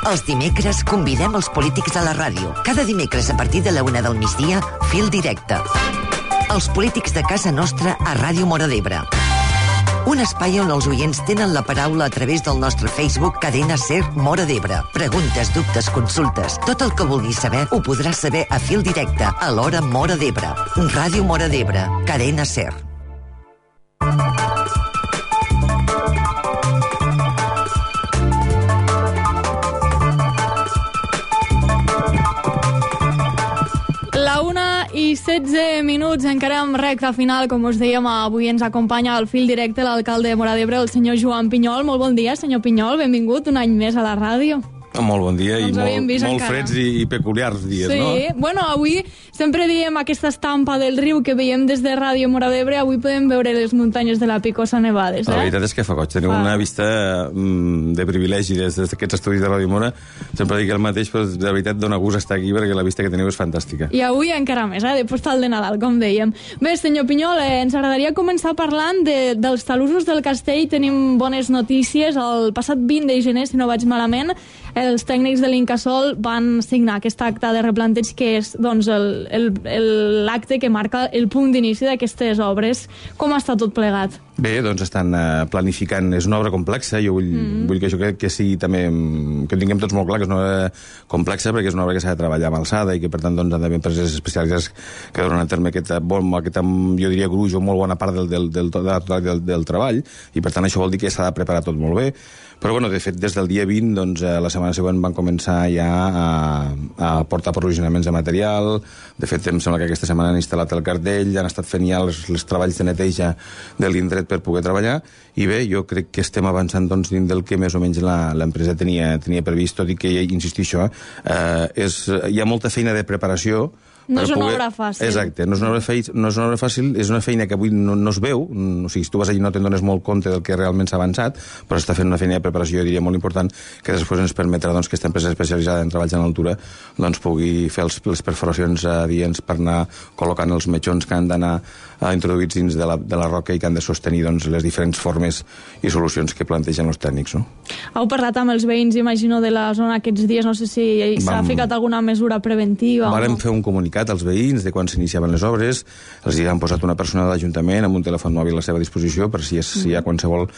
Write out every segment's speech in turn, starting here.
Els dimecres convidem els polítics a la ràdio. Cada dimecres a partir de la 1 del migdia, Fil Directe. Els polítics de casa nostra a Ràdio Móra d'Ebre. Un espai on els oients tenen la paraula a través del nostre Facebook Cadena Ser Móra d'Ebre. Preguntes, dubtes, consultes. Tot el que vulguis saber ho podràs saber a Fil Directe a l'hora Móra d'Ebre. Ràdio Móra d'Ebre. Cadena Ser. La 1:16, encara en recta final, com us dèiem, avui ens acompanya al Fil Directe l'alcalde de Móra d'Ebre, el senyor Joan Pinyol. Molt bon dia, senyor Pinyol, benvingut un any més a la ràdio. Molt bon dia i molt freds i peculiars dies, no? Sí, bueno, avui sempre diem aquesta estampa del riu que veiem des de Ràdio Móra d'Ebre, avui podem veure les muntanyes de la Picosa nevades, La veritat és que fa goig, teniu una vista de privilegi des d'aquests estudis de Ràdio Móra. Sempre dic el mateix, però de veritat dona gust estar aquí perquè la vista que teniu és fantàstica. I avui encara més, de postal de Nadal, com dèiem. Bé, senyor Pinyol, ens agradaria començar parlant dels talussos del castell. Tenim bones notícies. El passat 20 de gener, si no vaig malament, els tècnics de l'Incasòl van signar aquest acte de replanteig que és doncs, l'acte que marca el punt d'inici d'aquestes obres. Com està tot plegat? Bé, doncs estan planificant. És una obra complexa. Jo vull que això que sigui també... que ho tinguem tots molt clar, que és una obra complexa perquè és una obra que s'ha de treballar amb alçada i que per tant doncs, han d'haver empreses especialitzades que donen a terme aquest, jo diria, gruix o molt bona part del treball, i per tant això vol dir que s'ha de preparar tot molt bé. Però, bueno, de fet, des del dia 20, doncs, la setmana següent van començar ja a portar aprovisionaments de material. De fet, em sembla que aquesta setmana han instal·lat el cartell, han estat fent ja els treballs de neteja de l'indret per poder treballar. I bé, jo crec que estem avançant doncs, dins del que més o menys l'empresa tenia previst, tot i que, insistixo, hi ha molta feina de preparació. No és una obra fàcil. Exacte, no és una obra fàcil, és una feina que avui no es veu, o sigui, si tu vas allà no te'n dones molt compte del que realment s'ha avançat, però està fent una feina de preparació, jo diria, molt important, que després ens permetrà doncs, que aquesta empresa especialitzada en treballs en altura doncs, pugui fer les perforacions adients per anar col·locant els metxons que han d'anar introduïts dins de la roca i que han de sostenir doncs, les diferents formes i solucions que plantegen els tècnics. No? Heu parlat amb els veïns, imagino, de la zona aquests dies, no sé si s'ha ficat alguna mesura preventiva. Vam fer un comunicat als veïns de quan s'iniciaven les obres, els hi han posat una persona de l'Ajuntament amb un telèfon mòbil a la seva disposició per si hi ha qualsevol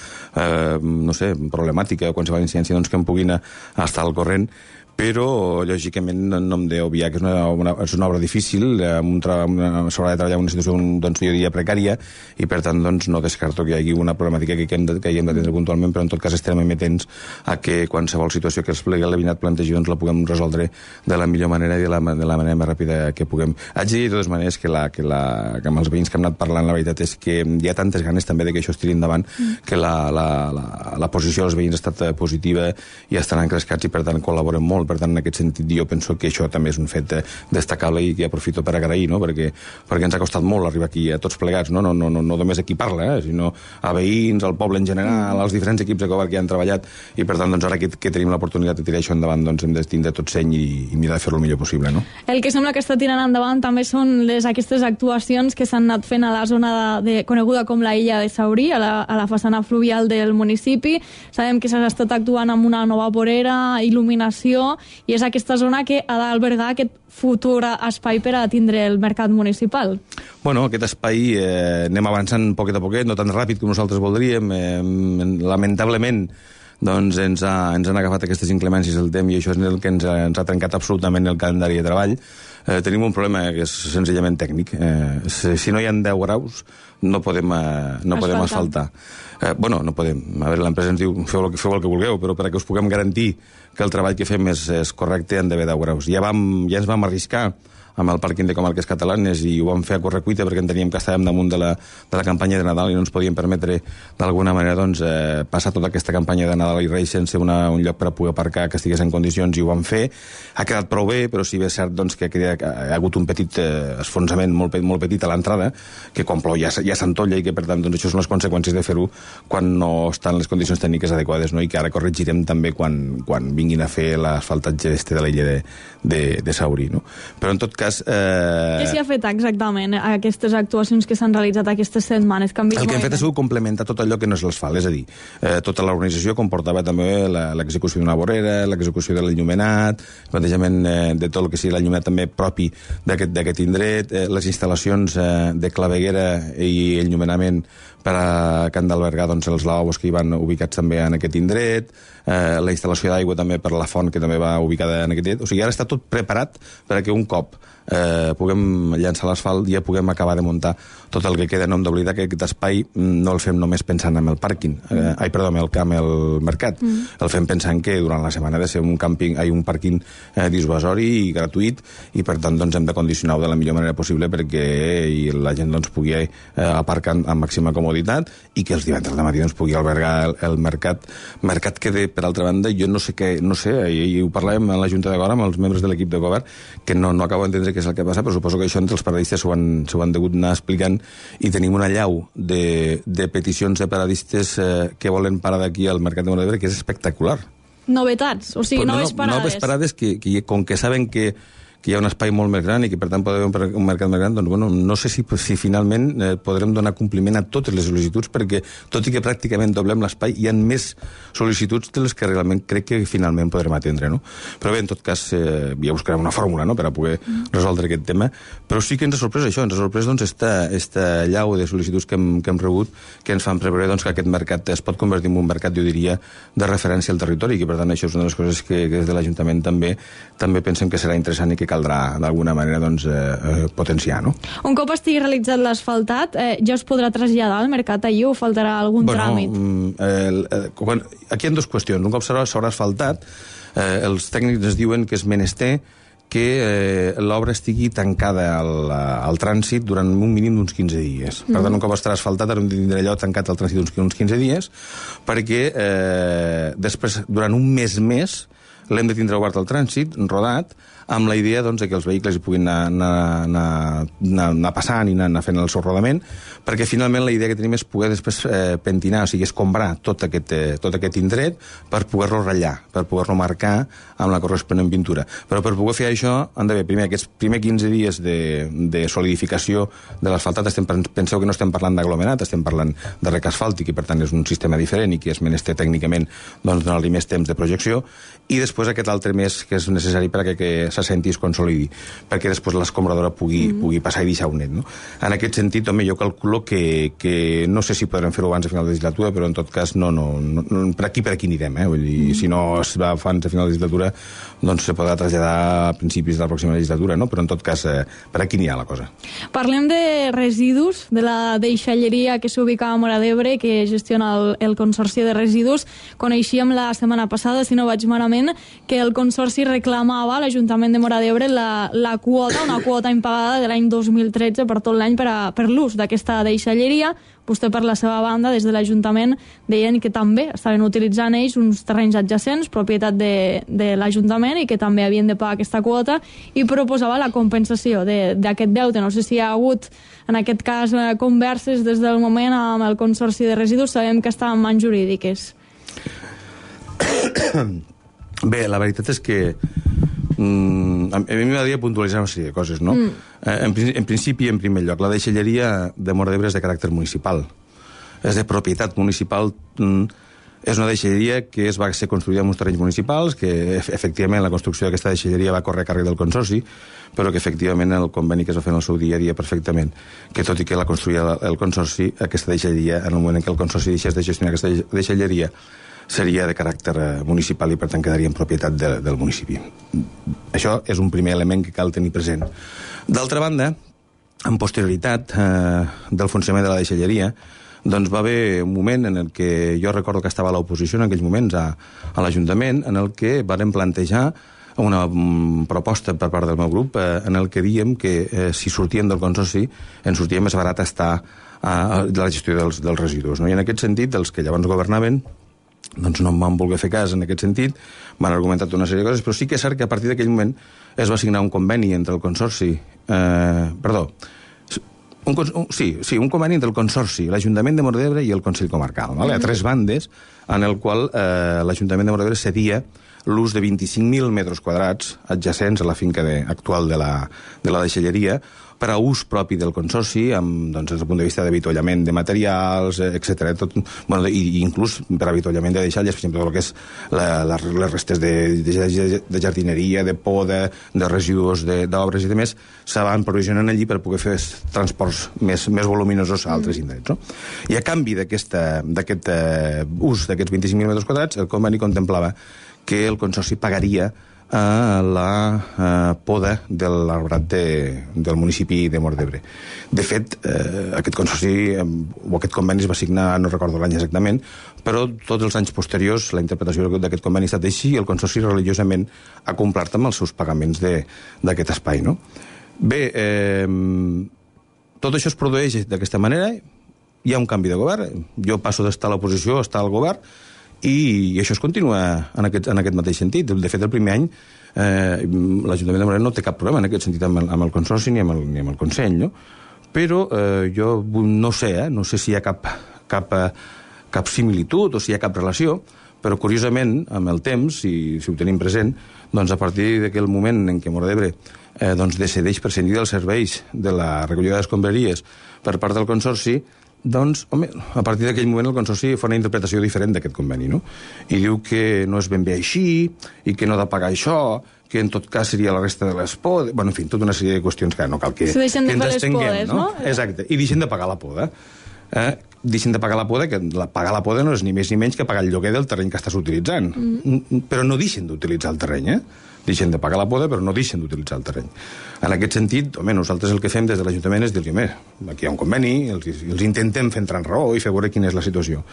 problemàtica o qualsevol incidència doncs, que en puguin estar al corrent. Però, lògicament, no hem d'obviar que és una obra difícil, s'haurà de treballar en una situació, doncs, jo diria, precària, i per tant, doncs, no descarto que hi hagi una problemàtica que hem d'atendre puntualment, però en tot cas estarem amatents a que qualsevol situació que el veïnat plantegi doncs, la puguem resoldre de la millor manera i de la manera més ràpida que puguem. Haig de dir, de totes maneres, que amb els veïns que hem anat parlant, la veritat és que hi ha tantes ganes també de que això es tiri endavant que la posició dels veïns ha estat positiva i estan encrescats i per tant col·laboren molt. Per tant, en aquest sentit, jo penso que això també és un fet destacable i que aprofito per agrair, no? perquè ens ha costat molt arribar aquí a tots plegats, no només a qui parla, sinó a veïns, al poble en general, als diferents equips de govern que han treballat, i per tant, doncs, ara que tenim l'oportunitat de tirar això endavant, doncs hem de tindre tot seny i mirar de fer-lo el millor possible. No? El que sembla que està tirant endavant també són aquestes actuacions que s'han anat fent a la zona coneguda com la Illa de Saurí, a la façana fluvial del municipi. Sabem que s'ha estat actuant amb una nova vorera, il·luminació, i és aquesta zona que ha d'albergar aquest futur espai per a tindre el mercat municipal. Bueno, aquest espai anem avançant poquet a poquet, no tan ràpid com nosaltres voldríem. Lamentablement, doncs ens han agafat aquestes inclemències del temps i això és el que ens ha trencat absolutament el calendari de treball. Tenim un problema que és senzillament tècnic. Si no hi ha 10 graus, no podem asfaltar. No podem. A veure, l'empresa ens diu feu el que vulgueu, però perquè us puguem garantir que el treball que fem és correcte han d'haver 10 graus. Ja ens vam arriscar amb el pàrquing de comarques catalanes i ho vam fer a correcuita perquè enteníem que estàvem damunt de la campanya de Nadal i no ens podíem permetre d'alguna manera doncs, passar tota aquesta campanya de Nadal i Reis sense un lloc per a poder aparcar que estigués en condicions, i ho vam fer. Ha quedat prou bé, però sí que és cert doncs, que ha hagut un petit esfonsament molt petit a l'entrada, que quan plou ja s'entolla i que per tant doncs, això són les conseqüències de fer-ho no estan les condicions tècniques adequades, no? I que ara corregirem també quan vinguin a fer l'asfaltatge de l'illa de Saurí, no? Però en tot cas... Què s'hi ha fet exactament aquestes actuacions que s'han realitzat aquestes setmanes? El que hem fet ha sigut complementar tot allò que no és l'asfalt, és a dir, tota l'organització comportava també l'execució d'una vorera, l'execució de l'enllumenat, el plantejament de tot el que sigui l'enllumenat també propi d'aquest indret, les instal·lacions de claveguera i enllumenament per a Can d'Albergar, doncs, els lavabos que hi van ubicats també en aquest indret, la instal·lació d'aigua també per la font que també va ubicada en aquest indret. O sigui, ara està tot preparat perquè un cop puguem llançar l'asfalt ja puguem acabar de muntar tot el que queda. No hem d'oblidar que aquest espai no el fem només pensant en el pàrquing, en el mercat. El fem pensant que durant la setmana ha de ser un pàrquing dissuasori i gratuït, i per tant doncs, hem de condicionar-ho de la millor manera possible perquè la gent doncs, pugui aparcar amb màxima comoditat i que els divendres de matí doncs, pugui albergar el mercat que, per altra banda, jo no sé, i ho parlàvem a la Junta de Govern amb els membres de l'equip de govern, que no acabo d'entendre què és el que passa, però suposo que això entre els paradistes s'ho han degut anar explicant, i tenim una llau de peticions de paradistes que volen parar d'aquí al mercat de Móra d'Ebre, que és espectacular. Novetats, o sigui, noves parades. Noves parades que com que saben que hi ha un espai molt més gran i que per tant pot haver un mercat més gran, doncs bueno, no sé si finalment podrem donar compliment a totes les sol·licituds, perquè tot i que pràcticament doblem l'espai, hi ha més sol·licituds de les que realment crec que finalment podrem atendre, no? Però bé, en tot cas, ja buscarem una fórmula, no?, per a poder resoldre aquest tema, però sí que ens ha sorprès això, ens ha sorprès doncs esta llau de sol·licituds que hem rebut, que ens fan preveure doncs, que aquest mercat es pot convertir en un mercat, jo diria, de referència al territori, i que per tant això és una de les coses que des de l'Ajuntament també pensem que serà interessant i que caldrà d'alguna manera doncs, potenciar, no? Un cop estigui realitzat l'asfaltat, ja es podrà traslladar al mercat allí o faltarà algun tràmit? Aquí hi ha dues qüestions. Un cop s'haurà asfaltat, els tècnics ens diuen que és menester que l'obra estigui tancada al trànsit durant un mínim d'uns 15 dies. Per tant, un cop estarà asfaltat, hem de tindre allò tancat al trànsit uns 15 dies, perquè després, durant un mes més, l'hem de tindre obert al trànsit, rodat, amb la idea doncs, que els vehicles hi puguin anar passant i anar fent el seu rodament, perquè finalment la idea que tenim és poder després pentinar, o sigui, escombrar tot aquest indret per poder-lo ratllar, per poder-lo marcar amb la corresponent pintura. Però per poder fer això han d'haver primer aquests primers 15 dies de solidificació de l'asfaltat. Penseu que no estem parlant d'aglomerat, estem parlant de rec asfàltic, i per tant és un sistema diferent i que és menester tècnicament doncs, donar-li més temps de projecció, i després aquest altre mes que és necessari perquè s'assenti i es consolidi, perquè després l'escombradora pugui passar i deixar un net, no? En aquest sentit, home, jo calculo que no sé si podrem fer-ho abans de final de legislatura, però en tot cas per aquí anirem, Vull dir, si no es va abans de final de legislatura, doncs se podrà traslladar a principis de la pròxima legislatura, no? Però en tot cas per aquí anirà la cosa. Parlem de residus, de la deixalleria que s'ubica a Móra d'Ebre, que gestiona el Consorci de Residus. Coneixíem la setmana passada, si no vaig malament, que el Consorci reclamava a l'Ajuntament de Móra d'Ebre una quota impagada de l'any 2013 per tot l'any per l'ús d'aquesta deixalleria. Vostè, per la seva banda, des de l'Ajuntament, deien que també estaven utilitzant ells uns terrenys adjacents, propietat de l'Ajuntament, i que també havien de pagar aquesta quota, i proposava la compensació d'aquest deute. No sé si hi ha hagut, en aquest cas, converses des del moment amb el Consorci de Residus. Sabem que està en mans jurídiques. Bé, la veritat és que a mi m'agradaria puntualitzar una sèrie de coses, no? En principi, en primer lloc, la deixalleria de Móra d'Ebre és de caràcter municipal. És de propietat municipal. És una deixalleria que va ser construïda en uns terrenys municipals, que efectivament la construcció d'aquesta deixalleria va córrer a càrrec del Consorci, però que efectivament el conveni que es va fer en el seu dia perfectament, que tot i que la construïa el Consorci, aquesta deixalleria, en el moment en què el Consorci deixés de gestionar aquesta deixalleria, seria de caràcter municipal i per tant quedaria en propietat del municipi. Això és un primer element que cal tenir present. D'altra banda, en posterioritat del funcionament de la deixalleria, doncs va haver un moment en el que jo recordo que estava a l'oposició en aquells moments a l'Ajuntament, en el que vàrem plantejar una proposta per part del meu grup en el que diem que si sortíem del Consorci ens sortia més barat estar de la gestió dels residus. I en aquest sentit, els que llavors governaven doncs no em van voler fer cas en aquest sentit, m'han argumentat una sèrie de coses, però sí que és cert que a partir d'aquell moment es va signar un conveni entre el Consorci, Sí, un conveni entre el Consorci, l'Ajuntament de Móra d'Ebre i el Consell Comarcal, a 3 bandes, en el qual l'Ajuntament de Móra d'Ebre cedia l'ús de 25.000 metres quadrats adjacents a la finca actual de la deixalleria per a ús propi del Consorci, des del punt de vista d'avituallament de materials, etc. I inclús per avituallament de deixalles, per exemple, tot el que és les restes de jardineria, de poda, de residus d'obres i demés, se van provisionant allí per poder fer transports més voluminosos a altres indrets. I a canvi d'aquest ús d'aquests 25.000 metres quadrats, el conveni contemplava que el Consorci pagaria la poda de l'arbrat del municipi de Móra d'Ebre. De fet, aquest consorci o aquest conveni es va signar, no recordo l'any exactament, però tots els anys posteriors la interpretació d'aquest conveni ha estat així i el consorci religiosament ha complert amb els seus pagaments d'aquest espai. No? Bé, tot això es produeix d'aquesta manera, hi ha un canvi de govern, jo passo d'estar a l'oposició a estar al govern, i això es continua en aquest mateix sentit. De fet, el primer any l'Ajuntament de Móra no té cap problema en aquest sentit amb el Consorci ni amb el Consell, no? Però jo no sé si hi ha cap similitud o si hi ha cap relació, però curiosament, amb el temps, si ho tenim present, doncs a partir d'aquell moment en què Móra d'Ebre decideix prescindir dels serveis de la recollida d'escombraries per part del Consorci, doncs, home, a partir d'aquell moment el Consorci fa una interpretació diferent d'aquest conveni, no? I diu que no és ben bé així, i que no ha de pagar això, que en tot cas seria la resta de les podes... Bueno, en fi, tota una sèrie de qüestions que no cal que ens estenguem, no? Exacte, i deixen de pagar la poda. Deixen de pagar la poda, que pagar la poda no és ni més ni menys que pagar el lloguer del terreny que estàs utilitzant. Però no deixen d'utilitzar el terreny, deixen de pagar la poda, però no deixen d'utilitzar el terreny. En aquest sentit, home, nosaltres el que fem des de l'Ajuntament és dir-li, aquí hi ha un conveni, els intentem fer entrar en raó i fer veure quina és la situació.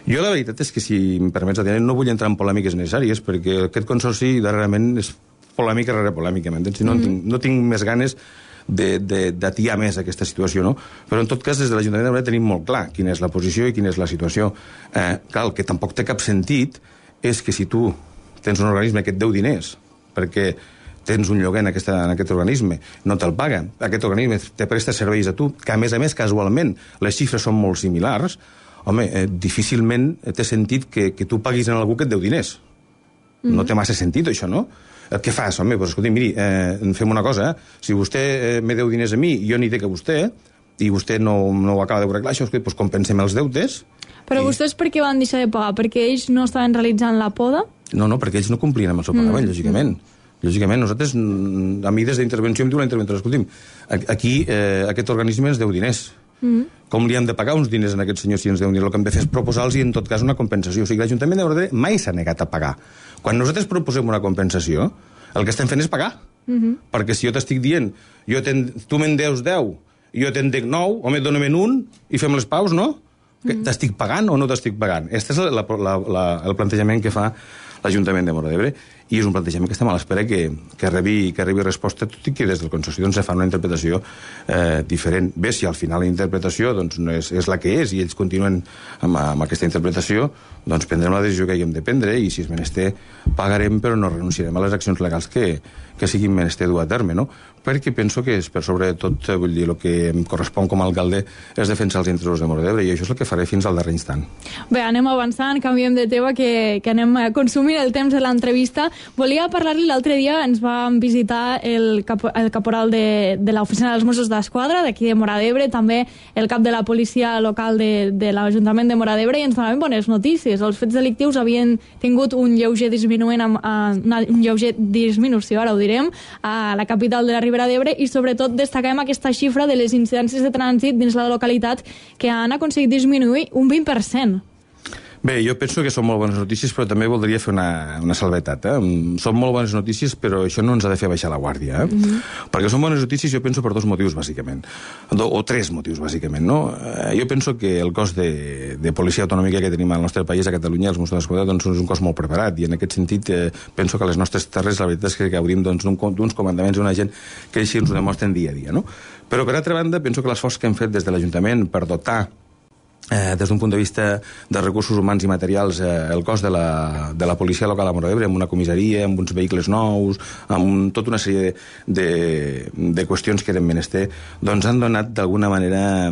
Jo la veritat és que, si em permets, Adriana, no vull entrar en polèmiques necessàries, perquè aquest consorci darrerament és polèmica rere polèmica, m'entens? No tinc més ganes d'atiar més aquesta situació, no? Però en tot cas, des de l'Ajuntament de Móra tenim molt clar quina és la posició i quina és la situació. Clar, el que tampoc té cap sentit és que si tu tens un organisme que et deu diners perquè tens un lloguer en aquest organisme, no te'l paga, aquest organisme te presta serveis a tu, que a més, casualment, les xifres són molt similars, home, difícilment té sentit que tu paguis a algú que et deu diners. No té massa sentit, això, no? Què fas? Home, doncs escolti, miri, fem una cosa, si vostè me deu diners a mi i jo n'hi dec a vostè, i vostè no ho acaba de arreglar, això, doncs compensem els deutes. Però vostès per què van deixar de pagar? Perquè ells no estaven realitzant la poda? No, perquè ells no complien amb el seu pagament, lògicament. Lògicament, nosaltres, a mi des d'intervenció em diu la interventora, escolti'm, aquí aquest organisme ens deu diners. Com li han de pagar uns diners a aquest senyor si ens deu diners? El que hem de fer és proposar-los i en tot cas una compensació. O sigui, l'Ajuntament de Móra d'Ebre mai s'ha negat a pagar. Quan nosaltres proposem una compensació, el que estem fent és pagar. Perquè si jo t'estic dient, tu me'n deus 10, jo te'n dec 9, home, dóna-me'n un i fem les paus, no? T'estic pagant o no t'estic pagant? Aquest és el plantejament que fa l'Ajuntament de Móra d'Ebre, i és un plantejament que estem a l'espera que rebi resposta, tot i que des del Consorci se fa una interpretació diferent. Bé, si al final la interpretació no és la que és i ells continuen amb aquesta interpretació, doncs prendrem la decisió que haguem de prendre i si és menester pagarem, però no renunciarem a les accions legals que siguin menester dur a terme, no? Perquè penso que és per sobre de tot, vull dir, el que em correspon com a alcalde és defensar els interessos de Móra d'Ebre, i això és el que faré fins al darrer instant. Bé, anem avançant, canviem de tema, que anem consumint el temps de l'entrevista. Volia parlar-li, l'altre dia ens vam visitar el caporal de l'oficina dels Mossos d'Esquadra d'aquí de Móra d'Ebre, també el cap de la policia local de l'Ajuntament de Móra d'Ebre, i ens donaven bones notícies. Els fets delictius havien tingut un lleuger disminució, ara ho direm, a la capital de la Ribera d'Ebre, i sobretot destaquem aquesta xifra de les incidències de trànsit dins la localitat, que han aconseguit disminuir un 20%. Bé, jo penso que són molt bones notícies, però també voldria fer una salvetat. Són molt bones notícies, però això no ens ha de fer baixar la guàrdia. Perquè són bones notícies, jo penso, per 2 motius, bàsicament. O 3 motius, bàsicament, no? Jo penso que el cos de policia autonòmica que tenim al nostre país, a Catalunya, els Mossos d'Esquadra, doncs és un cos molt preparat, i en aquest sentit penso que a les nostres terres la veritat és que gaudim d'uns comandaments d'una gent que així ens ho demostren dia a dia, no? Però, per altra banda, penso que l'esforç que hem fet des de l'Ajuntament per dotar des d'un punt de vista de recursos humans i materials, el cos de la policia local a Móra d'Ebre, amb una comissaria, amb uns vehicles nous, amb tota una sèrie de qüestions que eren menester, doncs han donat d'alguna manera,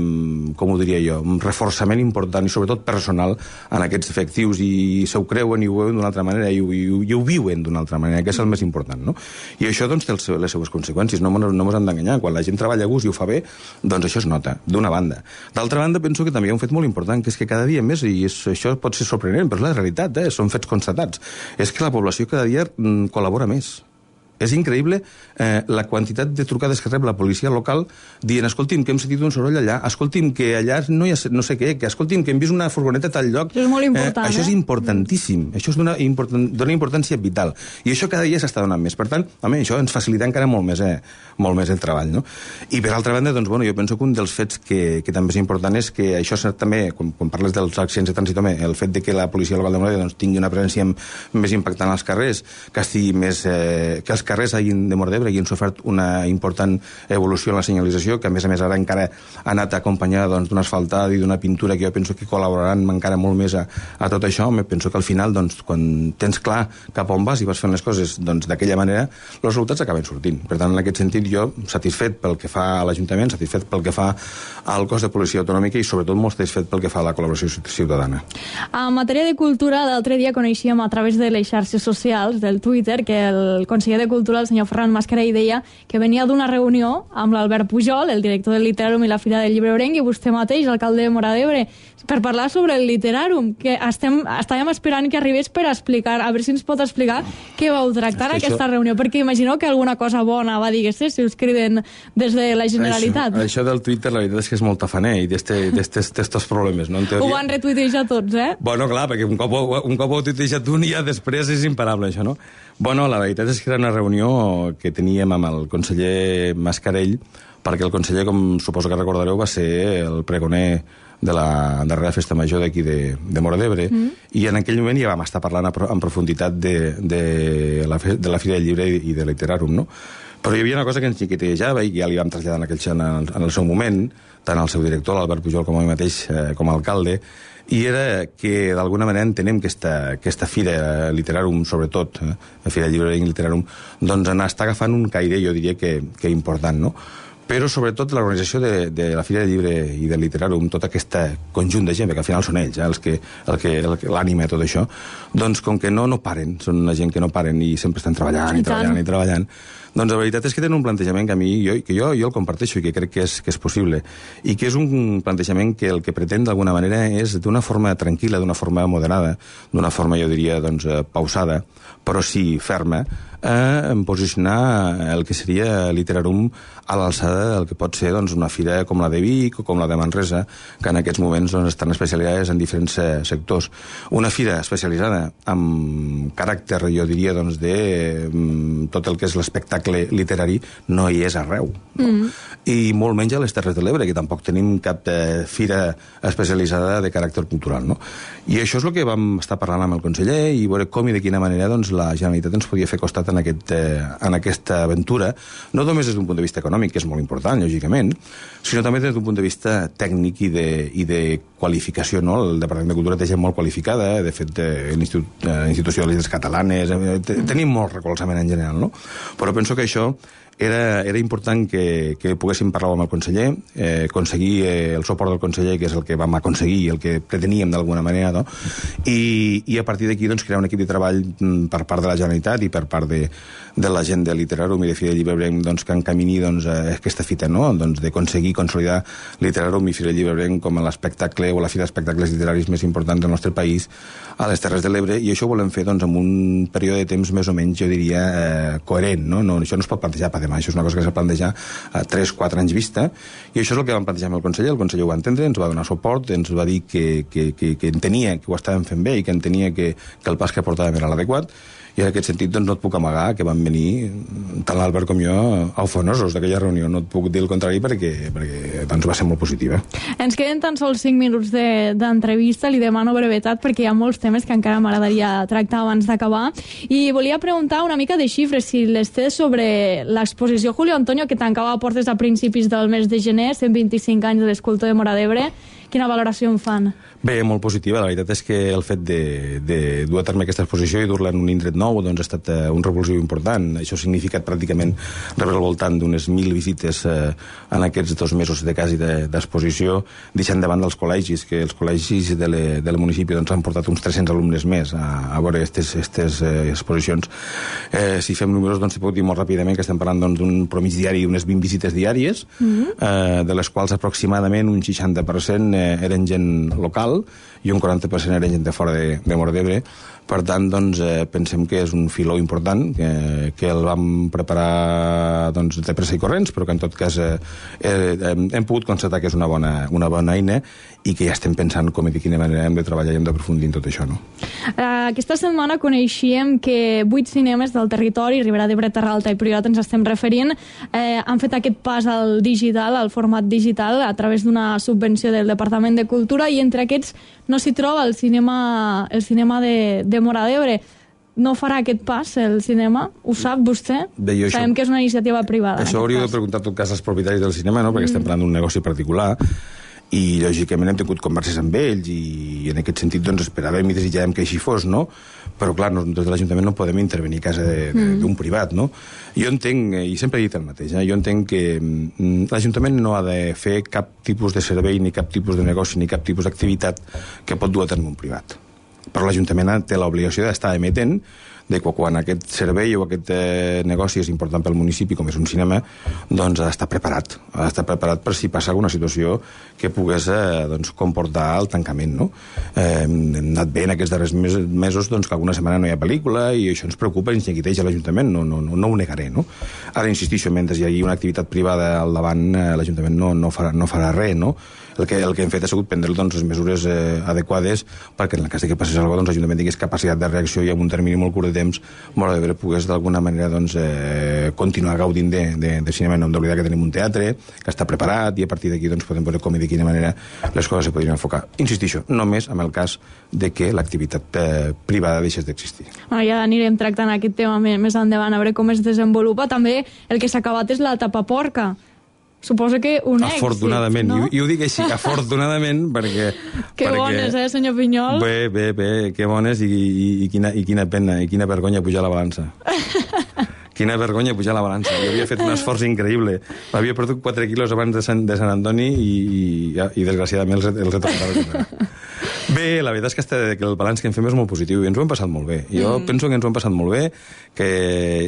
com ho diria jo, un reforçament important i sobretot personal en aquests efectius, i se ho creuen i ho veuen d'una altra manera i ho viuen d'una altra manera, que és el més important, no? I això doncs té les seues conseqüències, no mos han d'enganyar. Quan la gent treballa a gust i ho fa bé, doncs això es nota, d'una banda. D'altra banda, penso que també hi ha un fet molt important, que és que cada dia més, i això pot ser sorprenent, però és la realitat, són fets constatats, és que la població cada dia col·labora més. És increïble la quantitat de trucades que rep la policia local dient, escolti'm, que hem sentit un soroll allà, escolti'm, que allà no hi ha no sé què, que escolti'm, que hem vist una furgoneta a tal lloc. Això és molt important, Això és importantíssim, això és dona importància vital, i això cada dia s'està donant més. Per tant, això ens facilita encara molt més el treball, no? I per altra banda, doncs, jo penso que un dels fets que també és important és que això també, quan parles dels accidents de trànsit, el fet de que la policia local de Móra d'Ebre tingui una presència més impactant als carrers, que estigui més... que els carrers de Móra d'Ebre hagin sofert una important evolució en la senyalització, que a més ara encara ha anat acompanyada d'un asfaltat i d'una pintura que jo penso que col·laboraran encara molt més a tot això. Penso que al final, quan tens clar cap on vas i vas fent les coses d'aquella manera, els resultats acaben sortint. Per tant, en aquest sentit, jo satisfet pel que fa a l'Ajuntament, satisfet pel que fa al cos de policia autonòmica i sobretot molt satisfet pel que fa a la col·laboració ciutadana. En matèria de cultura, l'altre dia coneixíem a través de les xarxes socials, del Twitter, que el conseller de Cultura, el senyor Ferran Mascarell, deia que venia d'una reunió amb l'Albert Pujol, el director del Literàrum i la Fira del Llibre Obrenc, i vostè mateix, alcalde de Móra d'Ebre, per parlar sobre el Literàrum, que estàvem esperant que arribés per explicar, a veure si ens pot explicar què vau tractar aquesta reunió, perquè imagineu que alguna cosa bona va dir si us criden des de la Generalitat. Això del Twitter, la veritat és que és molt tafaner i d'estos problemes, no? Ho van retuitejar tots, Bueno, clar, perquè un cop ho ha tuitejat un, ja després és imparable, això, no? Bueno, la veritat és que era una reunió que teníem amb el conseller Mascarell, perquè el conseller, com suposo que recordareu, va ser el pregoner de la darrera festa major d'aquí de Móra d'Ebre, i en aquell moment ja vam estar parlant en profunditat de la Fira del Llibre i de Literàrum, no? Però hi havia una cosa que ens xiquitejava i ja li vam traslladar en el seu moment, tant al seu director, l'Albert Pujol, com a mi mateix, com a alcalde, i era que d'alguna manera entenem que aquesta Fira Literàrum, sobretot, la Fira del Llibre i Literàrum, doncs està agafant un caire, jo diria que important, no? Però sobretot l'organització de la Fira del Llibre i del Literàrum, tot aquest conjunt de gent, perquè al final són ells l'ànima de tot això, doncs com que no paren, són una gent que no paren i sempre estan treballant, doncs la veritat és que tenen un plantejament que jo el comparteixo i que crec que és possible, i que és un plantejament que el que pretén d'alguna manera és d'una forma tranquil·la, d'una forma moderada, d'una forma, jo diria, pausada, però sí ferma, posicionar el que seria Literàrum a l'alçada del que pot ser una fira com la de Vic o com la de Manresa, que en aquests moments estan especialitzades en diferents sectors. Una fira especialitzada amb caràcter, jo diria, de tot el que és l'espectacle literari no hi és arreu. I molt menys a les Terres de l'Ebre, que tampoc tenim cap fira especialitzada de caràcter cultural, no? I això és el que vam estar parlant amb el conseller i veure com i de quina manera la Generalitat ens podia fer costat en aquesta aventura, no només des d'un punt de vista econòmic, que és molt important, lògicament, sinó també des d'un punt de vista tècnic i de qualificació, no? El Departament de Cultura té gent molt qualificada, de fet, l'Institució de les Lletres Catalanes, tenim molt recolzament en general, no? Però penso que això era important que poguéssim parlar amb el conseller, aconseguir el suport del conseller, que és el que vam aconseguir i el que preteníem d'alguna manera, no? I a partir d'aquí crear un equip de treball per part de la Generalitat i per part de la gent de Literàrum i de Fira del Llibre Obrenc que encamini aquesta fita, no? D'aconseguir consolidar Literàrum i Fira del Llibre Obrenc com l'espectacle o la fira d'espectacles literaris més importants del nostre país a les Terres de l'Ebre, i això ho volem fer amb un període de temps més o menys, jo diria, coherent, no? Això no es pot plantejar per demà, això és una cosa que s'ha plantejat a 3-4 anys vista, i això és el que vam plantejar amb el conseller ho va entendre, ens va donar suport, ens va dir que entenia que ho estàvem fent bé i que entenia que el pas que portàvem era l'adequat, i en aquest sentit no et puc amagar que van venir tant l'Albert com jo eufanosos d'aquella reunió, no et puc dir el contrari perquè va ser molt positiva. Ens queden tan sols 5 minuts d'entrevista, li demano brevetat perquè hi ha molts temes que encara m'agradaria tractar abans d'acabar, i volia preguntar una mica de xifres, si les té sobre l'exposició Julio Antonio, que tancava portes a principis del mes de gener, 125 anys de l'escultor de Móra d'Ebre. Quina valoració en fan? Bé, molt positiva. La veritat és que el fet de dur a terme aquesta exposició i dur-la en un indret nou doncs ha estat un revulsiu important. Això ha significat pràcticament rebre al voltant d'unes 1.000 visites en aquests 2 mesos de quasi d'exposició, deixant de banda els col·legis, que els col·legis del municipi doncs, han portat uns 300 alumnes més a veure aquestes exposicions. Si fem números, doncs, puc dir molt ràpidament que estem parlant d'un promig diari d'unes 20 visites diàries, de les quals aproximadament un 60% eren gent local i un 40% eren gent de fora de Móra d'Ebre. Per tant, doncs, pensem que és un filó important, que el vam preparar doncs, de pressa i corrents, però que en tot cas hem pogut constatar que és una bona eina i que ja estem pensant com i de quina manera hem de treballar i hem d'aprofundir en tot això. No? Aquesta setmana coneixíem que 8 cinemes del territori, Ribera d'Ebre, Terra Alta i Priorat, ens estem referint, han fet aquest pas al digital, al format digital, a través d'una subvenció del Departament de Cultura, i entre aquests no s'hi troba el cinema de Móra d'Ebre. No farà aquest pas, el cinema? Ho sap vostè? Bé, sabem que és una iniciativa privada. Això hauríeu de preguntar en tot cas als propietaris del cinema, no? Perquè estem parlant d'un negoci particular i lògicament hem tingut converses amb ells i en aquest sentit doncs esperàvem i desitjàvem que així fos, no? Però clar, des de l'Ajuntament no podem intervenir a casa d'un privat, no? Jo entenc, i sempre he dit el mateix, jo entenc que l'Ajuntament no ha de fer cap tipus de servei, ni cap tipus de negoci, ni cap tipus d'activitat que pot dur a terme un privat. Però l'Ajuntament té l'obligació d'estar emetent de que quan aquest servei o aquest negoci és important pel municipi, com és un cinema, doncs ha d'estar preparat. Ha d'estar preparat per si passa alguna situació que pogués doncs, comportar el tancament. No? Hem anat bé en aquests darrers mesos doncs, que alguna setmana no hi ha pel·lícula i això ens preocupa i ens neguiteja a l'Ajuntament, no ho negaré. No? Ara insistixo, mentre hi hagi una activitat privada al davant, l'Ajuntament no farà res, no? El que hem fet ha sigut prendre doncs, les mesures adequades perquè en el cas que passés alguna cosa, doncs, l'Ajuntament tingués capacitat de reacció i en un termini molt curt de temps Móra d'Ebre pogués d'alguna manera doncs, continuar gaudint de cinema. No hem d'oblidar que tenim un teatre que està preparat i a partir d'aquí doncs, podem veure com i de quina manera les coses se podrien enfocar. Insistixo, només amb el cas de que l'activitat privada deixés d'existir. Ja anirem tractant aquest tema més endavant, a veure com es desenvolupa. També el que s'ha acabat és la tapaporca. Suposo que un èxit, afortunadament, no? I ho dic així, afortunadament, perquè... Que bones, senyor Pinyol? Bé, que bones i quina pena, i quina vergonya pujar la balança. Quina vergonya pujar la balança. Jo havia fet un esforç increïble. Havia perdut 4 quilos abans de Sant Antoni i desgraciadament els he tornat a recuperar. Bé, la veritat és que el balanç que en fem és molt positiu i ens ho hem passat molt bé. Jo penso que ens ho hem passat molt bé, que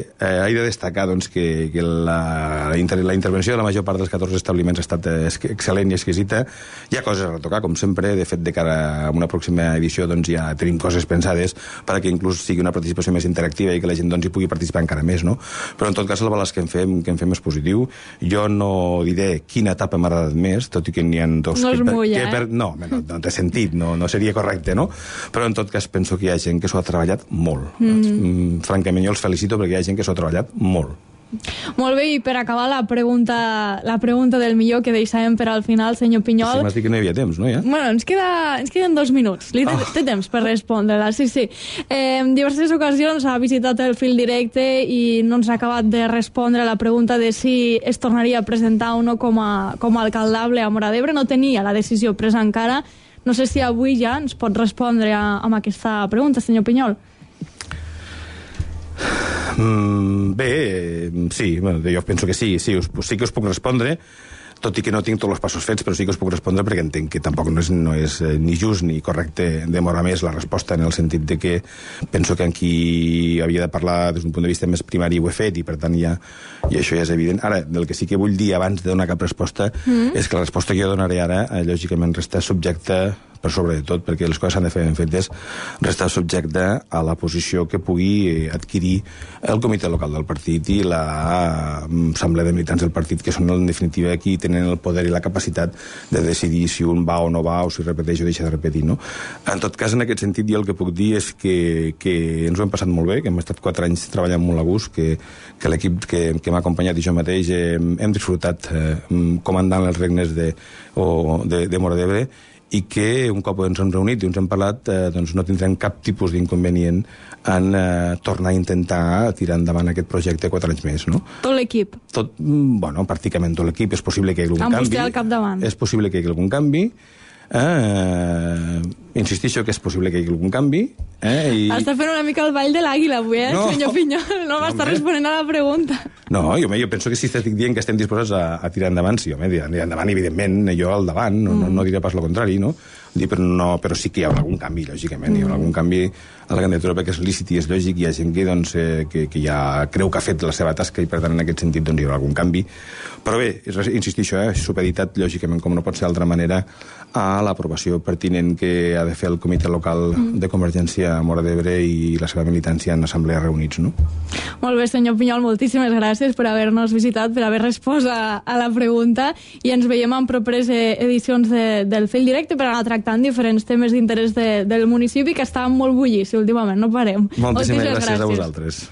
he de destacar doncs, que la intervenció de la major part dels 14 establiments ha estat excel·lent i exquisita. Hi ha coses a retocar, com sempre. De fet, de cara a una pròxima edició doncs, ja tenim coses pensades perquè inclús sigui una participació més interactiva i que la gent doncs, hi pugui participar encara més. No? Però en tot cas el balanç que en fem és positiu. Jo no diré quina etapa m'ha agradat més, tot i que n'hi ha 2... No es mulla, No té sentit, no seria correcte, no? Però en tot cas penso que hi ha gent que s'ho ha treballat molt. Francament, jo els felicito perquè hi ha gent que s'ho ha treballat molt. Molt bé, i per acabar la pregunta del millor que deixàvem per al final, senyor Pinyol... Sí, m'has dit que no hi havia temps, no, ja? Bueno, ens queden 2 minuts. Té temps per respondre-la, sí. En diverses ocasions ha visitat el fil directe i no ens ha acabat de respondre a la pregunta de si es tornaria a presentar o no com a alcaldable a Móra d'Ebre. No tenia la decisió presa encara. No sé si avui ja ens pot respondre amb aquesta pregunta, senyor Pinyol. Bé, sí, jo penso que sí que us puc respondre, tot i que no tinc tots els passos fets, però sí que us puc respondre perquè entenc que tampoc no és ni just ni correcte demorar més la resposta, en el sentit de que penso que aquí havia de parlar des d'un punt de vista més primari ho he fet i per tant i això ja és evident. Ara, del que sí que vull dir abans de donar cap resposta és que la resposta que jo donaré ara lògicament resta subjecta per sobre de tot, perquè les coses s'han de fer ben fetes, restar subjecte a la posició que pugui adquirir el comitè local del partit i l'assemblea de militants del partit, que són en definitiva qui tenen el poder i la capacitat de decidir si un va o no va, o si repeteix o deixa de repetir, no? En tot cas, en aquest sentit, jo el que puc dir és que ens ho hem passat molt bé, que hem estat 4 anys treballant molt a gust, que l'equip que m'ha acompanyat i jo mateix hem disfrutat comandant els regnes de Móra d'Ebre, i que un cop ens hem reunit i ens hem parlat doncs no tindrem cap tipus d'inconvenient en tornar a intentar tirar endavant aquest projecte 4 anys més, no? Tot l'equip? Bueno, pràcticament tot l'equip. És possible que hi hagi algun canvi. Amb vostè al capdavant? És possible que hi hagi algun canvi. Insistixo que és possible que hi hagi algun canvi. Està fent una mica el ball de l'àguila avui, senyor Pinyol? No m'està responent a la pregunta. No, jo penso que si estic dient que estem disposats a tirar endavant, sí, home, tirar endavant, evidentment, jo al davant, no diré pas el contrari, no? Però sí que hi haurà algun canvi, lògicament, hi haurà algun canvi a la candidatura perquè és lícit i és lògic, hi ha gent que ja creu que ha fet la seva tasca i per tant en aquest sentit hi haurà algun canvi. Però bé, insistixo, supeditat lògicament com no pot ser d'altra manera a l'aprovació pertinent que ha de fer el comitè local de Convergència a Móra d'Ebre i la seva militància en assemblea reunits, no? Molt bé, senyor Pinyol, moltíssimes gràcies per haver-nos visitat, per haver respost a la pregunta i ens veiem en properes edicions del Fil Directe per anar tractant diferents temes d'interès del municipi que estan molt bullici últimament, no parem. Moltíssimes gràcies a vosaltres.